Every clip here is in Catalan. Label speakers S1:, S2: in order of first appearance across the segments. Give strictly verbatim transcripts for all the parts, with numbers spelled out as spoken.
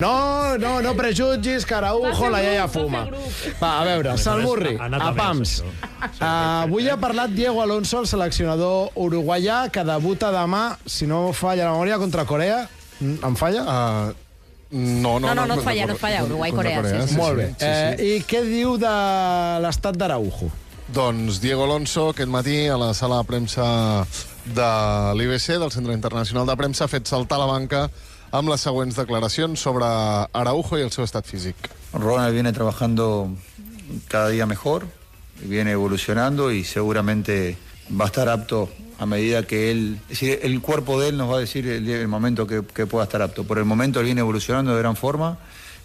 S1: No, no, no prejutgis, que Araujo, la iaia fuma. Va, a veure, Salmurri, a Pams. Avui ha parlat Diego Alonso, el seleccionador uruguaià, que debuta demà, si no falla la memòria, contra Corea. Em falla?
S2: No, no,
S3: no, no, no et falla, no et falla, Uruguai-Corea. Sí, sí.
S1: Molt bé. I què diu de l'estat d'Araujo?
S2: Doncs Diego Alonso, aquest matí, a la sala de premsa de l'I B C, del Centre Internacional de Premsa, ha fet saltar la banca amb les següents declaracions sobre Araujo y el seu estat físic.
S4: Ronald viene trabajando cada día mejor, viene evolucionando y seguramente va a estar apto a medida que él... Es decir, el cuerpo de él nos va a decir el, el momento que, que pueda estar apto. Por el momento él viene evolucionando de gran forma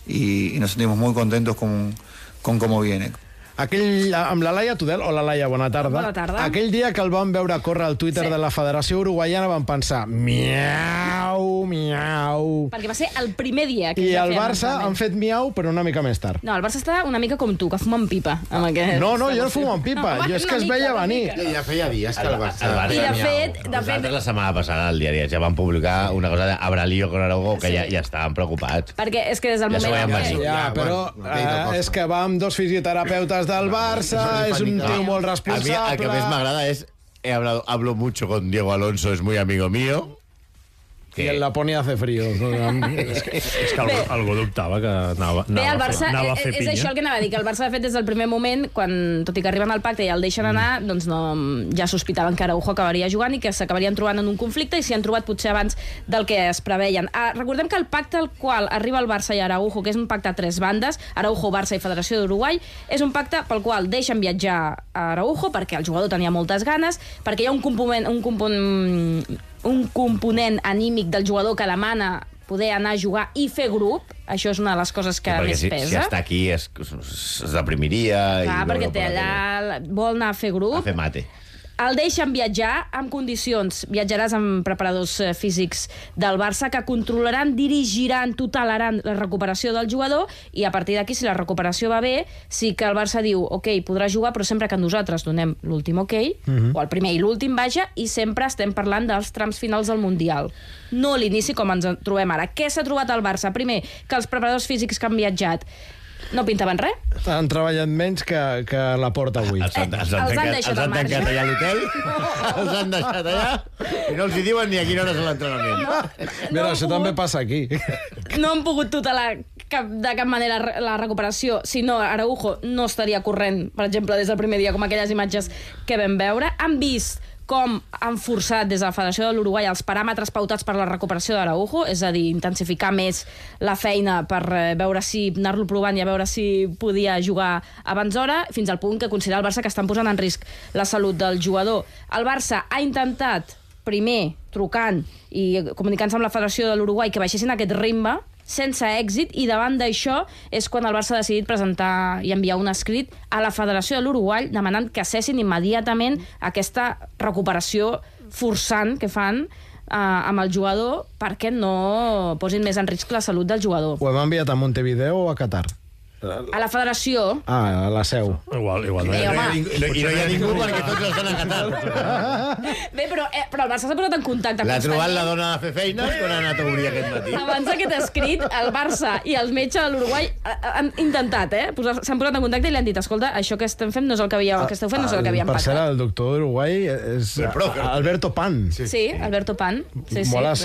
S4: y, y nos sentimos muy contentos con, con cómo viene.
S1: Aquell, amb la Laia Tudel, hola Laia, bona tarda.
S3: Bona tarda.
S1: Aquell dia que el vam veure córrer al Twitter sí. de la Federació Uruguaiana vam pensar, miau, miau...
S3: Perquè va ser el primer dia que
S1: I el Barça han fet miau, però una mica més tard.
S3: No, el Barça està una mica com tu, que fuma en pipa. Amb aquest...
S1: No, no, jo no fumo en pipa, no, jo és que es veia venir.
S5: Ja feia dies que el Barça...
S6: El Barça
S3: I de fet... De
S6: Nosaltres
S3: fet...
S6: la setmana passada al diari ja van publicar una cosa d'Abralillo con Araujo, que sí. ja, ja estaven preocupats.
S3: Perquè és que des del
S6: ja
S3: moment...
S6: Que...
S1: Ja, però eh, és que va amb dos fisioterapeutes del Barça, és un tío molt responsable.
S6: A mí, el que més m'agrada es, he hablado, hablo mucho con Diego Alonso, es muy amigo mío.
S1: Que... I en Laponia hace frío.
S7: és que, és que algú, algú dubtava que anava,
S3: Bé, el Barça,
S7: anava a fer
S3: és,
S7: pinya.
S3: és això el que anava a dir, que el Barça, de fet, des del primer moment, quan, tot i que arriben al pacte i el deixen anar, mm. doncs no, ja sospitaven que Araujo acabaria jugant i que s'acabarien trobant en un conflicte, i s'hi han trobat potser abans del que es preveien. Ah, recordem que el pacte al qual arriba el Barça i Araujo, que és un pacte a tres bandes, Araujo, Barça i Federació d'Uruguai, és un pacte pel qual deixen viatjar a Araujo, perquè el jugador tenia moltes ganes, perquè hi ha un component, un component, un component anímic del jugador que demana poder anar a jugar i fer grup. Això és una de les coses que
S6: sí,
S3: més
S6: si,
S3: pesa.
S6: Si està aquí es, es deprimiria.
S3: Clar,
S6: i
S3: perquè té allà, vol anar a fer grup.
S6: A fer mate.
S3: El deixen viatjar amb condicions. Viatjaràs amb preparadors físics del Barça que controlaran, dirigiran, tutelaran la recuperació del jugador, i a partir d'aquí, si la recuperació va bé, sí que el Barça diu, ok, podrà jugar, però sempre que nosaltres donem l'últim ok, uh-huh. o el primer i l'últim, vaja, i sempre estem parlant dels trams finals del Mundial. No l'inici com ens trobem ara. Què s'ha trobat al Barça? Primer, que els preparadors físics que han viatjat no pintaven res.
S1: Han treballat menys que, que la porta avui.
S6: Els han, els han,
S3: Els han
S6: tancat,
S3: deixat
S6: els han
S3: al marge.
S6: tancat allà a l'hotel, no. els han deixat allà i no els hi diuen ni a quina hora és l'entrenament.
S3: No,
S1: Mira,
S3: no
S1: això
S3: pogut,
S1: també passa aquí.
S3: No han pogut tutelar cap, de cap manera la recuperació, si no, Araujo no estaria corrent, per exemple, des del primer dia, com aquelles imatges que vam veure. Han vist com han forçat des de la Federació de l'Uruguai els paràmetres pautats per la recuperació d'Araujo, és a dir, intensificar més la feina per veure si anar-lo provant i a veure si podia jugar abans d'hora, fins al punt que considera el Barça que estan posant en risc la salut del jugador. El Barça ha intentat, primer, trucant i comunicant-se amb la Federació de l'Uruguai, que baixessin aquest ritme, sense èxit, i davant d'això és quan el Barça ha decidit presentar i enviar un escrit a la Federació de l'Uruguai demanant que cessin immediatament aquesta recuperació forçant que fan eh, amb el jugador perquè no posin més en risc la salut del jugador.
S1: Ho hem enviat a Montevideo o a Qatar?
S3: A la Federació.
S1: Ah, a la seu.
S7: Igual, igual.
S3: Bé, home.
S6: I no hi ha ningú perquè tots estan a Qatar.
S3: Bé, però, eh, però el Barça s'ha posat en contacte.
S6: L'ha trobat la dona de fer feina quan ha anat a obrir aquest matí.
S3: Abans d'aquest escrit, el Barça i el metge de l'Uruguai han intentat, eh? S'han posat en contacte i li han dit, escolta, això que estem fent no és el que, havíeu, el que esteu fent, no és el que havíem
S1: pactat. Per
S3: pactat.
S1: cert, el doctor d'Uruguai és Alberto Pan.
S3: Sí, sí, Alberto Pan. Sí, sí.
S1: Mola,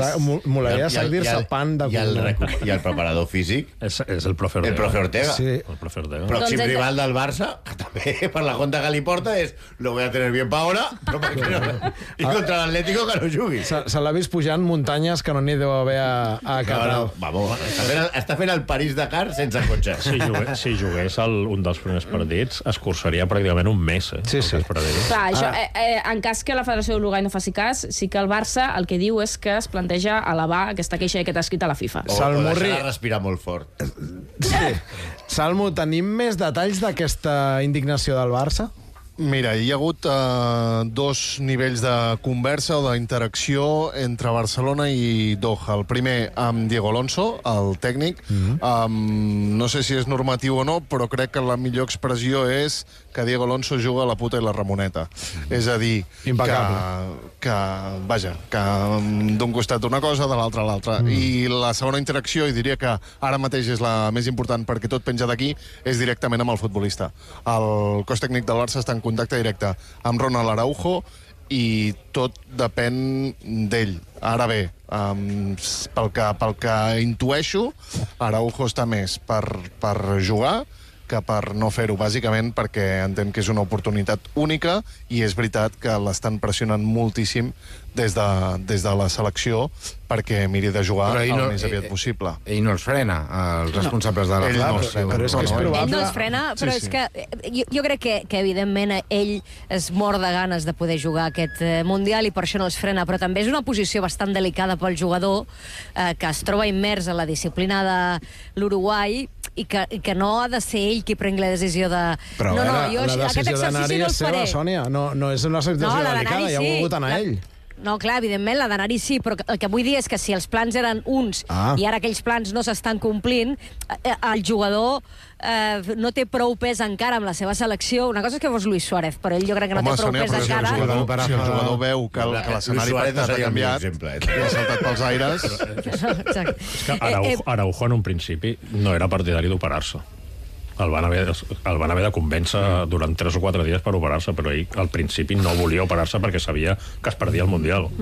S1: molaria dir-se Pan de
S6: cognom. I el preparador físic?
S7: És, és el profe Ortega.
S6: El profe Ortega.
S1: Sí.
S7: El profe Ortega.
S6: Pròxim doncs rival del Barça, que també per la conta que li porta és lo voy a tener bien pa ahora, però perquè no... I contra l'Atlético que no jugui.
S1: Se, se l'ha vist pujant muntanyes que no n'hi deu haver a, a Qatar.
S6: No, no, vamos, està fent, el, està fent el París-Dakar sense cotxe.
S7: Si jugués, si jugués el, un dels primers partits, es cursaria pràcticament un mes, eh?
S1: Sí, sí.
S3: Clar, això, eh, eh, en cas que la Federació d'Uruguai no faci cas, sí que el Barça el que diu és que es planteja elevar aquesta queixa i aquest escrit a la FIFA.
S6: O, o deixar-la respirar molt fort.
S1: Sí. Salmo, tenim més detalls d'aquesta indignació del Barça?
S2: Mira, hi ha hagut uh, dos nivells de conversa o d'interacció entre Barcelona i Doha. El primer amb Diego Alonso, el tècnic. Mm-hmm. um, no sé si és normatiu o no, però crec que la millor expressió és que Diego Alonso juga a la puta i la Ramoneta. Mm-hmm. És a dir, que, que, vaja, que d'un costat una cosa, de l'altre l'altra. Mm. I la segona interacció, i diria que ara mateix és la més important perquè tot penja d'aquí, és directament amb el futbolista. El cos tècnic del Barça està en contacte directe amb Ronald Araujo i tot depèn d'ell. Ara bé, um, pel, que, pel que intueixo, Araujo està més per, per jugar que per no fer-ho, bàsicament perquè entén que és una oportunitat única i és veritat que l'estan pressionant moltíssim des de, des de la selecció perquè miri de jugar el no, més aviat possible.
S5: Ell no els frena, els responsables no. de la
S2: ell
S5: no,
S2: no, frena,
S1: però és que és probable.
S8: Ell no els frena, però sí, sí. és que jo, jo crec que, que evidentment ell es mor de ganes de poder jugar aquest eh, Mundial i per això no els frena, però també és una posició bastant delicada pel jugador eh, que es troba immers en la disciplina de l'Uruguai i que, i que no ha de ser ell qui prengui la decisió de...
S1: Però
S8: no, no,
S1: la,
S8: jo,
S1: la decisió d'anar-hi no és seva, Sònia. No, no és una situació no, delicada, sí. Ja ha volgut anar
S8: la...
S1: ell.
S8: No, clar, evidentment, la d'anar-hi sí, però el que vull dir és que si els plans eren uns ah. i ara aquells plans no s'estan complint, el jugador eh, no té prou pes encara amb la seva selecció. Una cosa és que fos Luis Suárez, però ell jo crec que no
S2: Home,
S8: té prou
S2: Sònia,
S8: pes encara.
S2: Si el jugador, si el jugador veu que, el, que l'escenari pactat ha canviat i ha saltat pels aires...
S7: És que Araujo, Araujo en un principi no era partidari d'operar-se. El van, haver, el van haver de convèncer durant tres o quatre dies per operar-se, però ell al principi no volia operar-se perquè sabia que es perdia el Mundial.